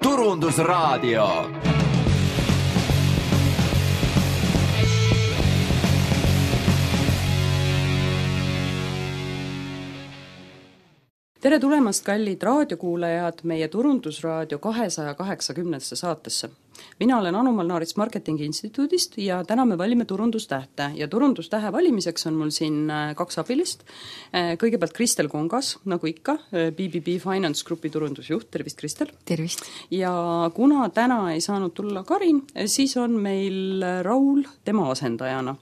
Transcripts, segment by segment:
Turundusraadio. Tere tulemast, kallid raadiokuulajad, meie Turundusraadio 280. saatesse. Mina olen Anu Malnaarits Marketingi Instituudist ja täna me valime turundustähte. Ja turundustähe valimiseks on mul siin kaks abilist. Kõigepealt Kristel Kongas, nagu ikka, BBB Finance Grupi turundusjuht. Tervist, Kristel! Tervist! Ja kuna täna ei saanud tulla Karin, siis on meil Raul tema asendajana.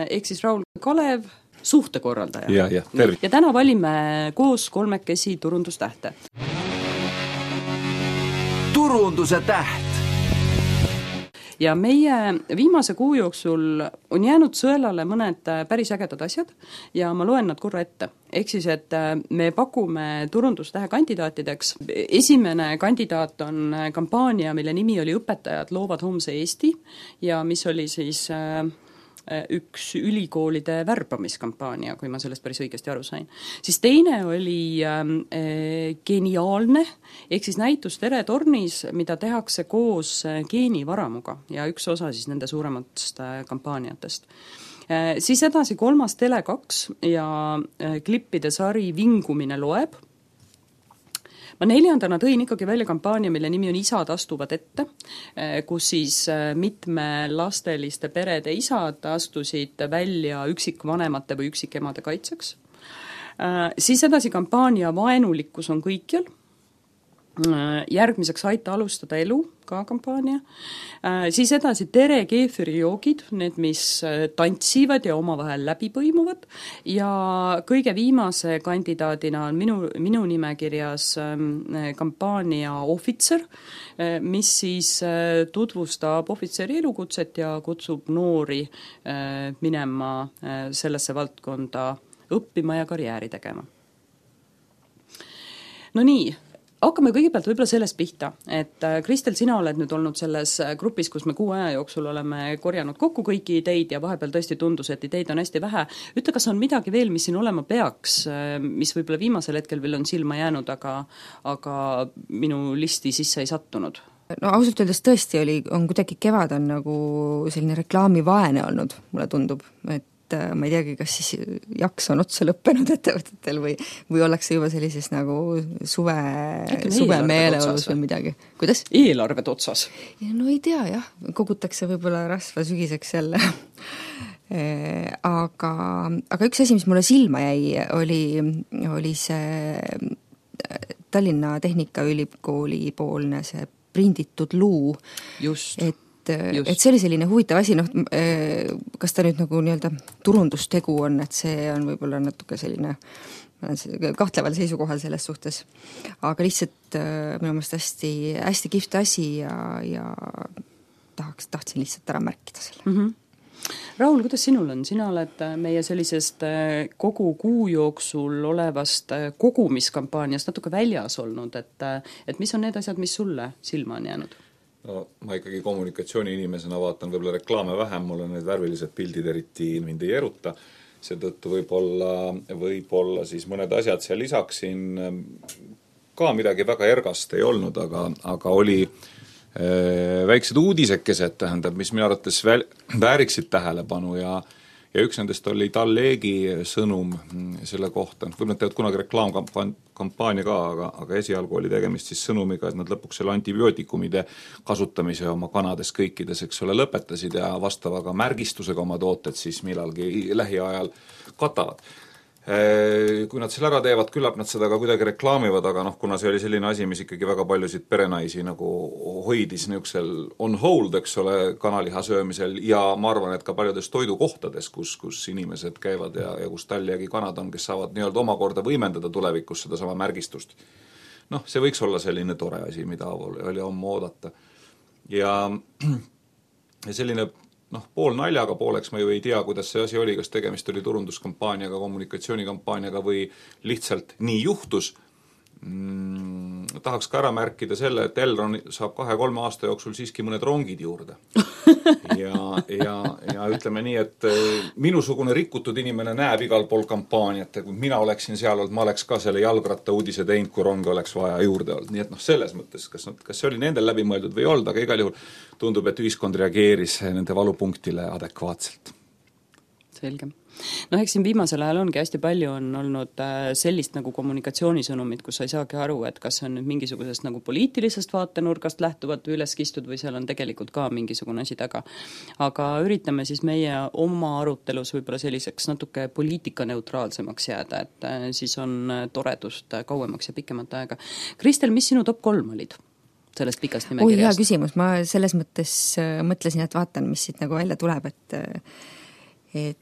Ehk siis Raul Kalev, suhtekorraldaja. Ja, tervist. Ja täna valime koos kolmekesi turundustähte. Turunduse täht. Ja meie viimase kuu jooksul on jäänud sõelale mõned päris ägedad asjad ja ma loen nad korra ette. Ehk siis, et me pakume turundustähe kandidaatideks. Esimene kandidaat on kampaania, mille nimi oli Õpetajad loovad homse Eesti ja mis oli siis üks ülikoolide värbamiskampaania, kui ma sellest päris õigesti aru sain. Siis teine oli geniaalne, ehk siis näitus Tere tornis, mida tehakse koos geenivaramuga ja üks osa siis nende suurematest kampaaniatest. Siis edasi kolmas Tele2 ja klippide sari Vingumine loeb. Ma neljandana tõin ikkagi välja kampaania, mille nimi on Isad astuvad ette, kus siis mitme lasteliste perede isad astusid välja üksikvanemate või üksikemade kaitseks. Siis edasi kampaania Vaenulikkus on kõikjal. Järgmiseks Aita alustada elu, ka kampaania. Siis edasi Tere keefirijoogid, need, mis tantsivad ja omavahel läbi põimuvad. Ja kõige viimase kandidaadina on minu nimekirjas kampaania Ohvitser, mis siis tutvustab ohvitseri elukutset ja kutsub noori minema sellesse valdkonda õppima ja karjääri tegema. No nii, hakkame kõigepealt võib-olla sellest pihta, et Kristel, sina oled nüüd olnud selles grupis, kus me kuu aja jooksul oleme korjanud kokku kõiki ideid ja vahepeal tõesti tundus, et ideid on hästi vähe. Ütle, kas on midagi veel, mis siin olema peaks, mis võib-olla viimasel hetkel veel on silma jäänud, aga minu listi sisse ei sattunud? No ausalt öeldes tõesti on kuidagi kevad on nagu selline reklaamivaene olnud, mulle tundub, et ma ei teagi, kas siis jaks on otsa lõppenud ettevõtetel või ollakse juba sellises nagu suve meeleolus või midagi. Kuidas? Eelarved otsas. No ei tea, jah. Kogutakse võib-olla rasva sügiseks jälle. Aga üks asi, mis mulle silma jäi, oli see Tallinna Tehnikaülikooli poolne see prinditud luu. Just. Et see oli selline huvitav asi, kas ta nüüd nagu nii-öelda turundustegu on, et see on võib-olla natuke selline kahtleval seisukohal selles suhtes. Aga lihtsalt minu meelest hästi kihvt asi ja tahtsin lihtsalt ära märkida selle. Mm-hmm. Raul, kuidas sinul on? Sina oled meie sellisest kogu kuu jooksul olevast kogumiskampaaniast natuke väljas olnud, et mis on need asjad, mis sulle silma on jäänud? No, ma ikkagi kommunikatsiooni inimesena vaatan võib-olla reklaame vähem, mulle need värvilised pildid eriti mind ei eruta, seetõttu võib-olla siis mõned asjad seal lisaksin, ka midagi väga ergast ei olnud, aga oli väiksed uudisekesed, tähendab, mis minu arvates vääriksid tähelepanu ja üks nendest oli Talleegi sõnum selle kohta. Võib-olla nad teevad kunagi reklaamkampaania ka, aga esialgu oli tegemist siis sõnumiga, et nad lõpuks selle antibiootikumide kasutamise oma kanades kõikides, eks ole, lõpetasid ja vastavaga märgistusega oma tooted siis millalgi lähiajal katavad. Kui nad selle ära teevad, küllap nad seda ka kuidagi reklaamivad, aga kuna see oli selline asi, mis ikkagi väga paljusid perenaisi nagu hoidis niisugusel on hold, eks ole, kanaliha söömisel ja ma arvan, et ka paljudes toidukohtades, kus inimesed käivad ja kus Talliagi kanad on, kes saavad nii-öelda omakorda võimendada tulevikus seda sama märgistust. See võiks olla selline tore asi, mida oli omma oodata. Ja selline pool naljaga pooleks ma ju ei tea, kuidas see asi oli, kas tegemist oli turunduskampaaniaga, kommunikatsioonikampaaniaga või lihtsalt nii juhtus. tahaks ka ära märkida selle, et Elron saab 2-3 aasta jooksul siiski mõned rongid juurde. ja ütleme nii, et minusugune rikutud inimene näeb igal pool kampaaniat ja kui mina oleksin seal olnud, ma oleks ka selle jalgratta uudise teinud, kui ronge oleks vaja juurde olnud. Nii et selles mõttes, kas see oli nendel läbimõeldud või ei olnud, aga igal juhul tundub, et ühiskond reageeris nende valupunktile adekvaatselt. Selge. Eks siin viimasel ajal ongi hästi palju on olnud sellist nagu kommunikatsioonisõnumit, kus sa ei saagi aru, et kas see on nüüd mingisugusest nagu poliitilisest vaatenurgast lähtuvalt või üles kistud või seal on tegelikult ka mingisugune asi taga. Aga üritame siis meie oma arutelus võib-olla selliseks natuke poliitikaneutraalsemaks jääda, et siis on toredust kauemaks ja pikemat aega. Kristel, mis sinu top 3 olid sellest pikast nimekirjast? Hea küsimus, ma selles mõttes mõtlesin, et vaatan, mis siit nagu välja tuleb, et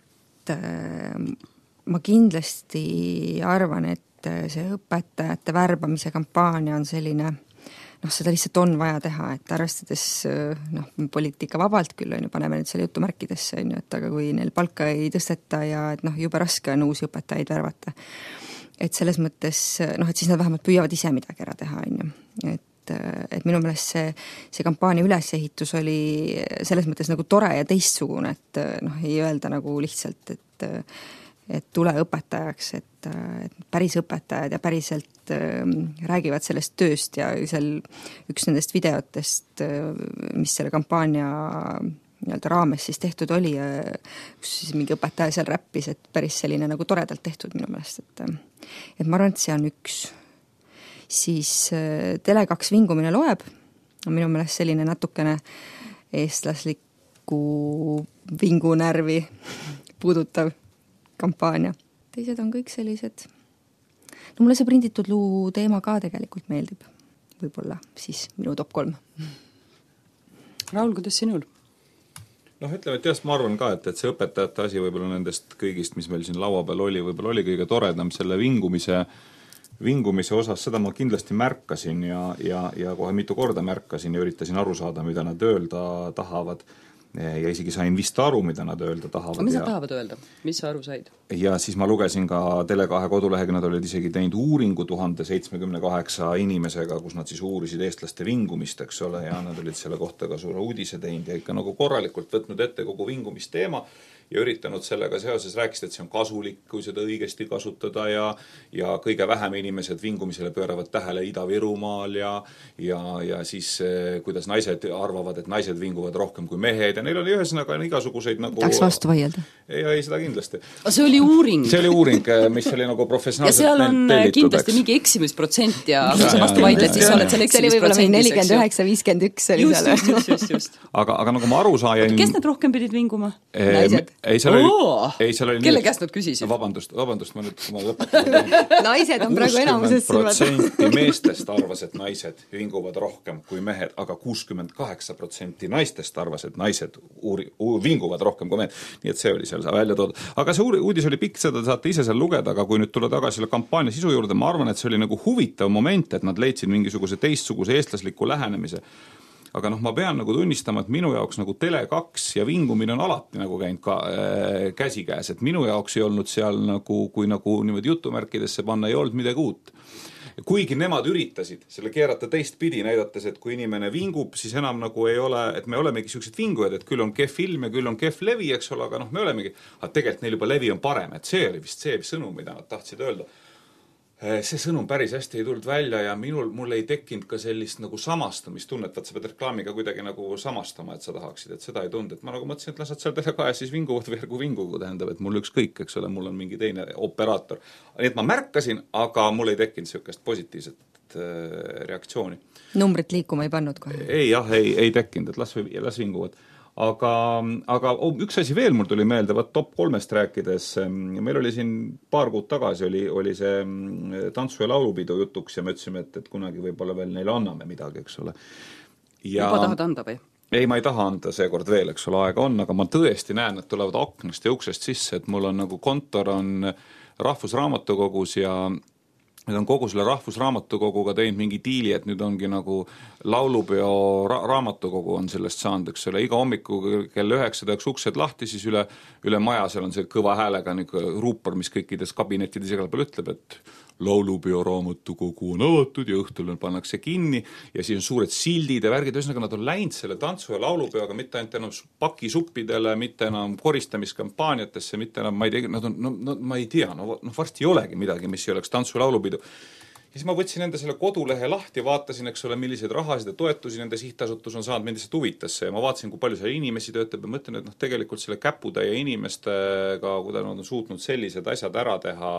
ma kindlasti arvan, et see õpetajate värbamise kampaania on selline, seda lihtsalt on vaja teha, et arvestades poliitika vabalt küll on ju, paneme nüüd selle jutumärkidesse, on ju, et aga kui neil palka ei tõsteta ja et jube raske on uusi õpetajaid värvata. Et selles mõttes, et siis nad vähemalt püüavad ise midagi ära teha, on ju. Et minu meelest see kampaania ülesehitus oli selles mõttes nagu tore ja teistsugune, et ei öelda nagu lihtsalt, et tule õpetajaks, et päris õpetajad ja päriselt räägivad sellest tööst ja seal üks nendest videotest, mis selle kampaania nii-öelda raames siis tehtud oli, kus siis mingi õpetaja seal räppis, et päris selline nagu toredalt tehtud minu meelest, et ma arvan, et see on üks. Siis Tele2 vingumine loeb, on minu meelest selline natukene eestlaslikku vingunärvi puudutav kampaania. Teised on kõik sellised. Mulle see prinditud luu teema ka tegelikult meeldib. Võib-olla siis minu top 3. Raul, kuidas sinul? Ütleme, et ma arvan ka, et see õpetajate asi võib-olla nendest kõigist, mis meil siin laua peal oli, võib-olla oli kõige toredam selle vingumise osas, seda ma kindlasti märkasin ja kohe mitu korda märkasin ja üritasin aru saada, mida nad öelda tahavad ja isegi sain vist aru, mida nad öelda tahavad. Mis nad tahavad öelda? Mis sa aru said? Ja siis ma lugesin ka Tele2 kodulehega, nad olid isegi teinud uuringu 1078 inimesega, kus nad siis uurisid eestlaste vingumist, eks ole, ja nad olid selle kohta ka suure uudise teinud ja ikka nagu korralikult võtnud ette kogu vingumisteema ja üritanud sellega seoses rääkida, et see on kasulik, kui seda õigesti kasutada ja kõige vähem inimesed vingumisele pööravad tähele Ida-Virumaal ja siis kuidas naised arvavad, et naised vinguvad rohkem kui mehed ja neil oli ühesõnaga igasuguseid nagu... Tahaks vastu vaielda? Ei, seda kindlasti. See oli uuring? See oli uuring, mis oli nagu professionaalselt ja seal on tellitud, kindlasti mingi eksimisprotsent ja kui sa vastu vaidled, siis sa oled selle eksimisprotsendis. See oli 49-51 oli seal. Just. Aga nagu ma aru saajan... Kes need rohkem pidid vinguma? Naised. Seal oli kelle käest nad küsisid? Vabandust, ma nüüd lõpetan. Naised on praegu enamuses 60% meestest arvas, et naised vinguvad rohkem kui mehed, aga 68% naistest arvas, et naised vinguvad rohkem kui mehed. Nii et see oli seal välja toodud. Aga see uudis oli pikk, seda saate ise seal lugeda, aga kui nüüd tulla tagasi selle kampaania sisu juurde, ma arvan, et see oli nagu huvitav moment, et nad leidsid mingisuguse teistsuguse eestlasliku lähenemise. Aga ma pean nagu tunnistama, et minu jaoks nagu Tele2 ja vingumine on alati nagu käinud ka käsikäes, et minu jaoks ei olnud seal nagu, kui nagu niimoodi jutumärkidesse panna, ei olnud midagi uut. Kuigi nemad üritasid selle keerata teistpidi, näidates, et kui inimene vingub, siis enam nagu ei ole, et me olemegi sellised vingujad, et küll on kehv ilm ja küll on kehv levi, eks ole, aga me olemegi, aga tegelikult neil juba levi on parem, et see oli vist see sõnum, mida nad tahtsid öelda. See sõnum päris hästi ei tulnud välja ja mul ei tekkinud ka sellist nagu samastamist-tunnet, et sa pead reklaamiga kuidagi nagu samastama, et sa tahaksid, et seda ei tund. Et ma nagu mõtlesin, et lasad seal Tele2 ja siis vinguvad või järgu vingugu, tähendab, et mul ükskõik, eks ole, mul on mingi teine operaator. Nii et ma märkasin, aga mul ei tekkinud sellist positiivset reaktsiooni. Numbrit liikuma ei pannud kohe? Ei tekkinud, et las vinguvad. Aga üks asi veel mul tuli meelde, top 3-st rääkides, meil oli siin paar kuud tagasi oli see tantsu- ja laulupidu jutuks ja me ütlesime, et kunagi võib-olla veel neile anname midagi, eks ole. Juba tahad anda või? Ei, ma ei taha anda seekord veel, eks ole, aega on, aga ma tõesti näen, et tulevad aknast ja uksest sisse, et mul on nagu kontor on Rahvusraamatukogus ja nüüd on kogu selle Rahvusraamatukoguga teinud mingi diili, et nüüd ongi nagu laulupeo raamatukogu on sellest saanud, eks ole, iga hommiku kell 9 täiks uksed lahti, siis üle maja seal on see kõva häälega ruupor, mis kõikides kabinettides igal peal ütleb, et laulupeoraamatukogu on avatud ja õhtul pannakse kinni ja siis on suured sildid ja värgid, ühesõnaga nad on läinud selle tantsu- ja laulupeoga mitte ainult enam pakisuppidele, mitte enam koristamiskampaaniatesse, mitte enam, ma ei tea, nad on, ma ei tea, varsti ei olegi midagi, mis ei oleks tantsu- ja laulupidu. Ja siis ma võtsin enda selle kodulehe lahti, vaatasin, eks ole, milliseid rahasid ja toetusi nende sihtasutus on saanud, mind lihtsalt huvitas ja ma vaatasin, kui palju seal inimesi töötab ja mõtlen, et tegelikult selle käputäie inimestega, kui ta on suutnud sellised asjad ära teha,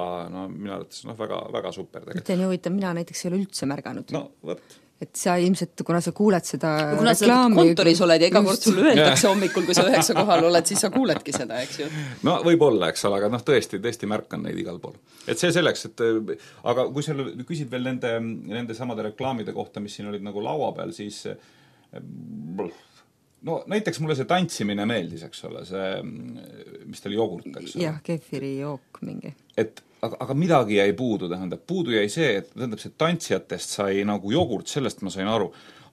minu arvates väga, väga super tegelikult. See on ju huvitav, mina näiteks ei ole üldse märganud. No, võt. Et sa ilmselt, kuna sa kuuled seda kuna reklaami, sa kontoris oled ja iga kord sulle öeldakse hommikul, kui sa 9 kohal oled, siis sa kuuledki seda, eks ju? No võib-olla, eks ole, aga tõesti märkan neid igal pool. Et see selleks, et aga kui sa küsid veel nende samade reklaamide kohta, mis siin olid nagu laua peal, siis näiteks mulle see tantsimine meeldis, eks ole, see, mis ta oli jogurt, eks ole. Jah, kefiri jook mingi. Aga midagi jäi puudu, tähendab. Puudu jäi see, et tähendab, see tantsijatest sai nagu jogurt, sellest ma sain aru.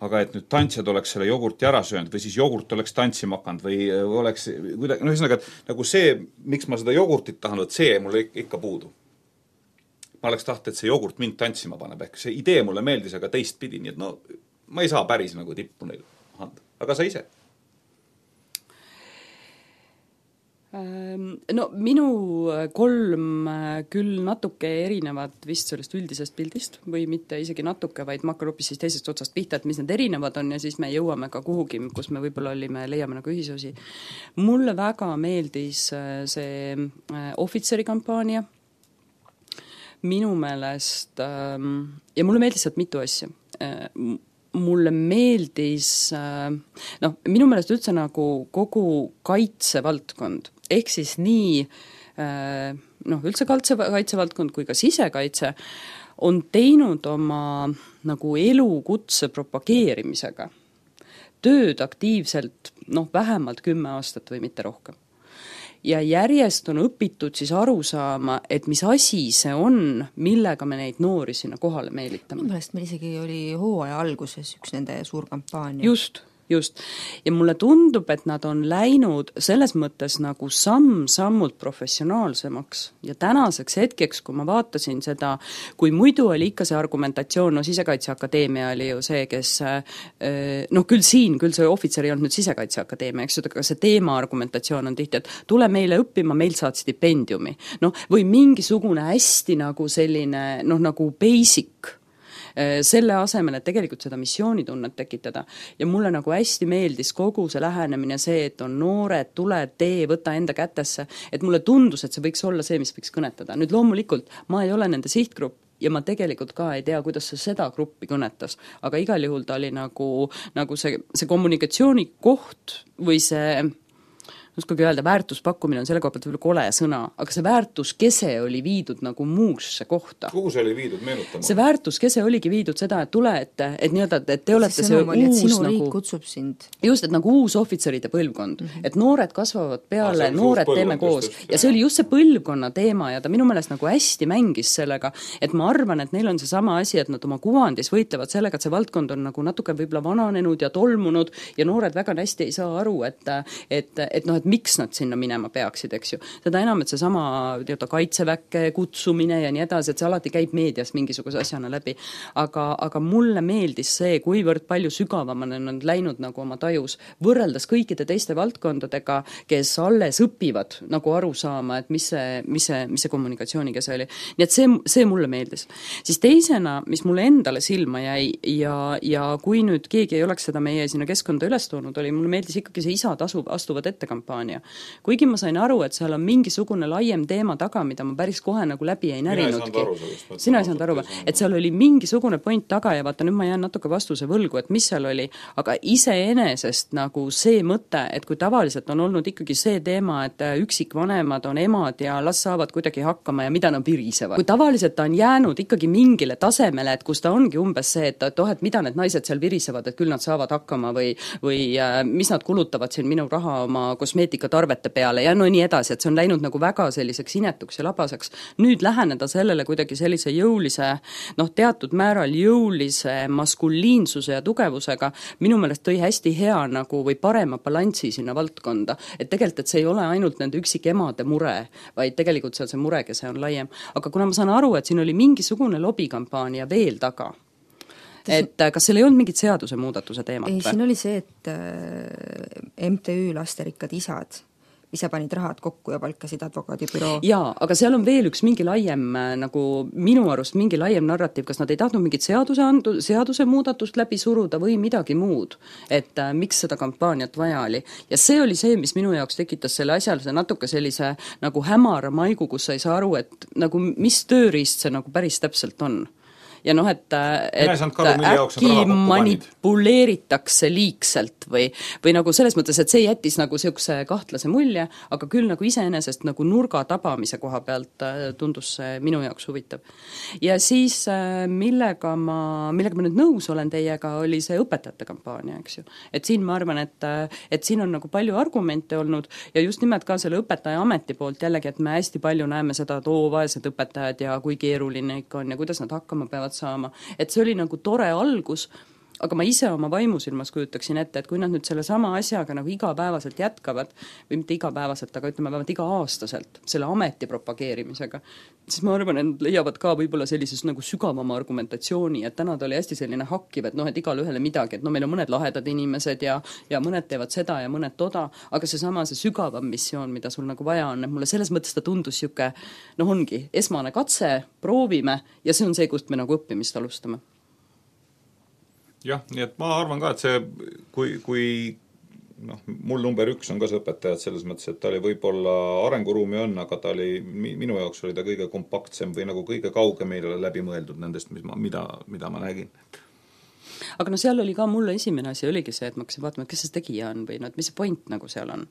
Aga et nüüd tantsijad oleks selle jogurti ära söönud või siis jogurt oleks tantsima hakanud või oleks kuidagi, ühesõnaga, nagu see, miks ma seda jogurtit tahan, see mulle ikka puudu. Ma oleks tahtnud, et see jogurt mind tantsima paneb, ehk see idee mulle meeldis, aga teistpidi, nii et ma ei saa päris nagu tippu neil anda. Aga sa ise? Minu 3 küll natuke erinevad vist sellest üldisest pildist või mitte isegi natuke, vaid ma hakkan hoopis siis teisest otsast pihta, et mis need erinevad on ja siis me jõuame ka kuhugi, kus me võib-olla leiame nagu ühisosi. Mulle väga meeldis see ohvitseri kampaania. Minu meelest ja mulle meeldis sealt mitu asja. Mulle meeldis, minu meelest üldse nagu kogu kaitsevaldkond, ehk siis nii, üldse kaitsevaldkond kui ka sisekaitse on teinud oma nagu elukutse propageerimisega tööd aktiivselt, vähemalt 10 aastat või mitte rohkem. Ja järjest on õpitud siis aru saama, et mis asi see on, millega me neid noori sinna kohale meelitame. Minu meelest meil isegi oli hooaja alguses üks nende suur kampaania. Just. Ja mulle tundub, et nad on läinud selles mõttes nagu samm-sammult professionaalsemaks ja tänaseks hetkeks, kui ma vaatasin seda, kui muidu oli ikka see argumentatsioon, Sisekaitseakadeemia oli ju see, kes küll see ohvitser ei olnud nüüd Sisekaitseakadeemia, eks ju, aga see teema argumentatsioon on tihti, et tule meile õppima, meil saad stipendiumi. Või mingisugune hästi nagu selline, nagu basic selle asemel, et tegelikult seda missioonitunnet tekitada. Ja mulle nagu hästi meeldis kogu see lähenemine, see, et on noored, tule, tee, võta enda kätesse, et mulle tundus, et see võiks olla see, mis võiks kõnetada. Nüüd loomulikult ma ei ole nende sihtgrupp ja ma tegelikult ka ei tea, kuidas see seda gruppi kõnetas, aga igal juhul ta oli nagu see kommunikatsiooni koht või see uskugi öelda, väärtuspakkumine on selle koha pealt võib-olla kole sõna, aga see väärtuskese oli viidud nagu muusse kohta. Kuhu see oli viidud, meenutama? See väärtuskese oligi viidud seda, et tule, et nii-öelda, et te olete see uus sinu riik kutsub sind. Just, et nagu uus ohvitseride põlvkond, et noored kasvavad peale, noored teeme koos. Ja see oli just see põlvkonna teema ja ta minu meelest nagu hästi mängis sellega, et ma arvan, et neil on see sama asi, et nad oma kuvandis võitlevad sellega, et see valdkond on nagu natuke võib-olla vananenud ja tolmunud ja noored väga hästi ei saa aru, et miks nad sinna minema peaksid, eks ju. Seda enam, et see sama kaitseväkke kutsumine ja nii edasi, et see alati käib meedias mingisuguse asjana läbi. Aga mulle meeldis see, kuivõrd palju sügavamana on läinud nagu oma tajus, võrreldes kõikide teiste valdkondadega, kes alles õpivad nagu aru saama, et mis see kommunikatsiooniga see oli. Nii et see mulle meeldis. Siis teisena, mis mulle endale silma jäi ja kui nüüd keegi ei oleks seda meie sinna keskkonda üles toonud, mulle meeldis ikkagi see isad astuvad ettekampaania. Kuigi ma sain aru, et seal on mingisugune laiem teema taga, mida ma päris kohe nagu läbi ei närinudki. Sina ei saanud aru, et seal oli mingisugune point taga ja vaata, nüüd ma jään natuke vastuse võlgu, et mis seal oli, aga iseenesest nagu see mõte, et kui tavaliselt on olnud ikkagi see teema, et üksikvanemad on emad ja las saavad kuidagi hakkama ja mida nad virisevad. Kui tavaliselt ta on jäänud ikkagi mingile tasemele, et kus ta ongi umbes see, et mida need naised seal virisevad, et küll nad saavad hakkama või mis nad kulutavad siin minu raha oma kosmeetikatarvete peale ja no nii edasi, et see on läinud nagu väga selliseks inetuks ja labaseks. Nüüd läheneda sellele kuidagi sellise jõulise, teatud määral jõulise maskuliinsuse ja tugevusega, minu meelest tõi hästi hea nagu või parema balanssi sinna valdkonda. Et tegelikult, et see ei ole ainult nende üksikemade mure, vaid tegelikult seal see murekese on laiem. Aga kuna ma saan aru, et siin oli mingisugune lobikampaania veel taga, et kas seal ei olnud mingit seaduse muudatuse teemat? Ei, siin oli see, et MTÜ Lasterikkad isad ise panid rahad kokku ja palkasid advokaadibüroo. Jaa, aga seal on veel üks mingi laiem, nagu minu arust mingi laiem narratiiv, kas nad ei tahtnud mingit seaduse muudatust läbi suruda või midagi muud, et miks seda kampaaniat vaja oli. Ja see oli see, mis minu jaoks tekitas selle asjalise natuke sellise nagu hämara maigu, kus sa ei saa aru, et nagu mis tööriist see nagu päris täpselt on. Ja et äkki manipuleeritakse liigselt või nagu selles mõttes, et see jättis nagu niisuguse kahtlase mulje, aga küll nagu iseenesest nagu nurga tabamise koha pealt tundus see minu jaoks huvitav. Ja siis millega ma nüüd nõus olen teiega, oli see õpetajate kampaania, eks ju. Et siin ma arvan, et siin on nagu palju argumente olnud ja just nimelt ka selle õpetaja ameti poolt jällegi, et me hästi palju näeme seda, et vaesed õpetajad ja kui keeruline ikka on ja kuidas nad hakkama peavad saama. Et see oli nagu tore algus, aga ma ise oma vaimusilmas kujutaksin ette, et kui nad nüüd selle sama asjaga nagu igapäevaselt jätkavad, või mitte igapäevaselt, aga ütleme vähemalt iga-aastaselt selle ameti propageerimisega, siis ma arvan, et leiavad ka võib-olla sellises nagu sügavama argumentatsiooni, et täna ta oli hästi selline hakkiv, et et igal ühele midagi, et meil on mõned lahedad inimesed ja mõned teevad seda ja mõned toda, aga see sügavam missioon, mida sul nagu vaja on, et mulle selles mõttes ta tundus siuke, ongi esmane katse, proovime ja see on see, kust me nagu õppimist alustame. Jah, nii et ma arvan ka, et see, kui mul number 1 on ka see õpetajad selles mõttes, et ta oli võib-olla arenguruumi on, aga ta oli, minu jaoks oli ta kõige kompaktsem või nagu kõige kaugemile läbi mõeldud nendest, mida ma nägin. Aga seal oli ka mulle esimene asi oligi see, et ma hakkasin vaatama, et kes see tegija on või et mis see point nagu seal on.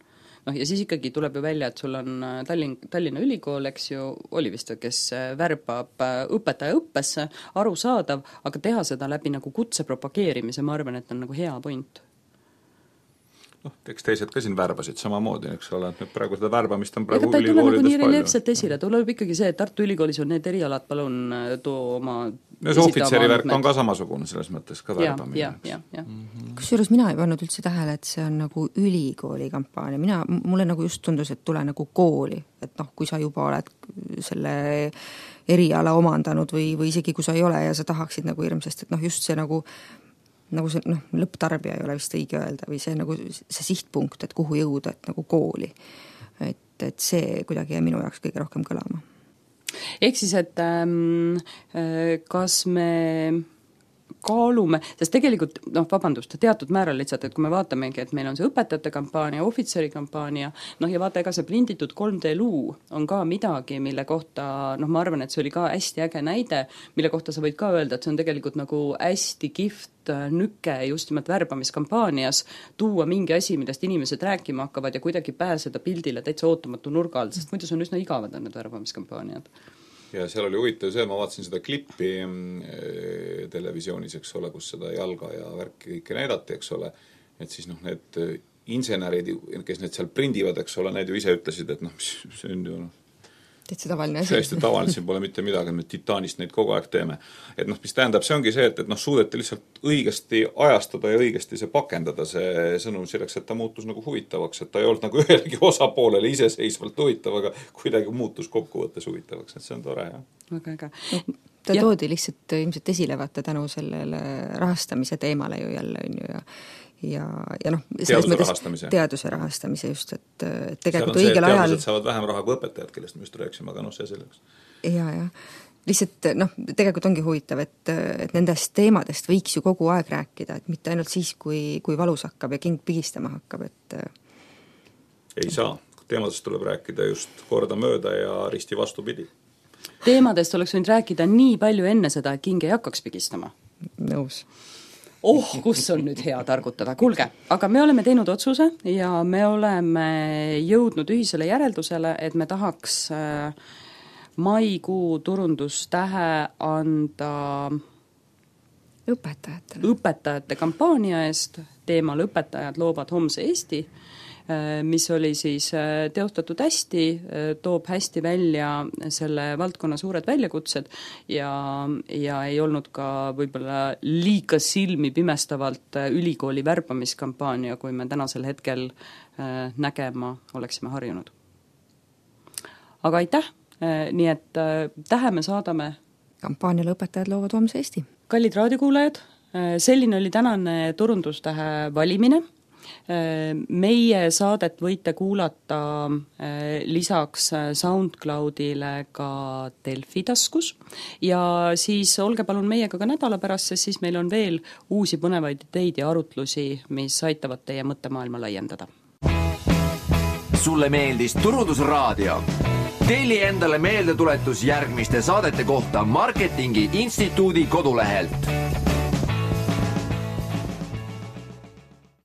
Ja siis ikkagi tuleb ju välja, et sul on Tallinna Ülikool, eks ju, oli vist, kes värbab õpetaja õppesse, arusaadav, aga teha seda läbi nagu kutse propageerimise, ma arvan, et on nagu hea point. Eks teised ka siin värbasid samamoodi, eks ole, et praegu seda värbamist on praegu ülikoolides palju. Aga ta ei tule nagu nii reljeefselt esile, tuleb ikkagi see, et Tartu Ülikoolis on need erialad, palun too oma... see ohvitseri värk on ka samasugune selles mõttes ka värbamine. Kusjuures mina ei pannud üldse tähele, et see on nagu ülikooli kampaania. Mulle nagu just tundus, et tule nagu kooli, et kui sa juba oled selle eriala omandanud või isegi kui sa ei ole ja sa tahaksid nagu hirmsest, et just see nagu see lõpptarbija ei ole vist õige öelda või see nagu see sihtpunkt, et kuhu jõuda, et nagu kooli. Et see kuidagi jäi minu jaoks kõige rohkem kõlama. Ehk siis, et kas me kaalume, sest tegelikult, teatud määral lihtsalt, et kui me vaatamegi, et meil on see õpetajate kampaania, ohvitseri kampaania, ja vaata, ega see prinditud 3D-luu on ka midagi, mille kohta, ma arvan, et see oli ka hästi äge näide, mille kohta sa võid ka öelda, et see on tegelikult nagu hästi kihvt nüke just nimelt värbamiskampaanias tuua mingi asi, millest inimesed rääkima hakkavad ja kuidagi pääseda pildile täitsa ootamatu nurga alt, sest muidu see on üsna igavad on need värbamiskampaaniad. Ja seal oli huvitav see, ma vaatasin seda klippi televisioonis, eks ole, kus seda jalga ja värki kõike näidati, eks ole, et siis need insenerid, kes need seal prindivad, eks ole, need ju ise ütlesid, et see on ju täitsa tavaline asi. Täiesti tavaline, siin pole mitte midagi, me titaanist neid kogu aeg teeme. Et mis tähendab, see ongi see, et suudeti lihtsalt õigesti ajastada ja õigesti see pakendada see sõnum selleks, et ta muutus nagu huvitavaks, et ta ei olnud nagu ühelegi osapoolele iseseisvalt huvitav, aga kuidagi muutus kokkuvõttes huvitavaks, et see on tore, jah. Väga äge. Ta toodi lihtsalt ilmselt esile vaata tänu sellele rahastamise teemale ju jälle on ju ja teaduse rahastamise just, et tegelikult õigel ajal... Teadused saavad vähem raha kui õpetajad, kellest me just rääksime, aga see selleks. Ja. Lihtsalt tegelikult ongi huvitav, et nendest teemadest võiks ju kogu aeg rääkida, et mitte ainult siis, kui valus hakkab ja king pigistama hakkab, et... Ei saa. Teemadest tuleb rääkida just korda mööda ja risti vastupidi. Teemadest oleks võinud rääkida nii palju enne seda, et king ei hakkaks pigistama. Nõus. Kus on nüüd hea targutada. Kuulge, aga me oleme teinud otsuse ja me oleme jõudnud ühisele järeldusele, et me tahaks maikuu turundustähe anda õpetajate kampaania eest teemal õpetajad loovad homse Eesti. mis oli siis teostatud hästi, toob hästi välja selle valdkonna suured väljakutsed ja ei olnud ka võib-olla liiga silmi pimestavalt ülikooli värbamiskampaania, kui me tänasel hetkel nägema oleksime harjunud. Aga aitäh, nii et tähe me saadame kampaaniale Õpetajad loovad homse Eesti. Kallid raadiokuulajad, selline oli tänane turundustähe valimine. Meie saadet võite kuulata lisaks SoundCloudile ka Delfi taskus ja siis olge palun meiega ka nädala pärast, sest siis meil on veel uusi põnevaid ideid ja arutlusi, mis aitavad teie mõttemaailma laiendada. Sulle meeldis Turundusraadio? Telli endale meeldetuletus järgmiste saadete kohta Marketingi Instituudi kodulehelt.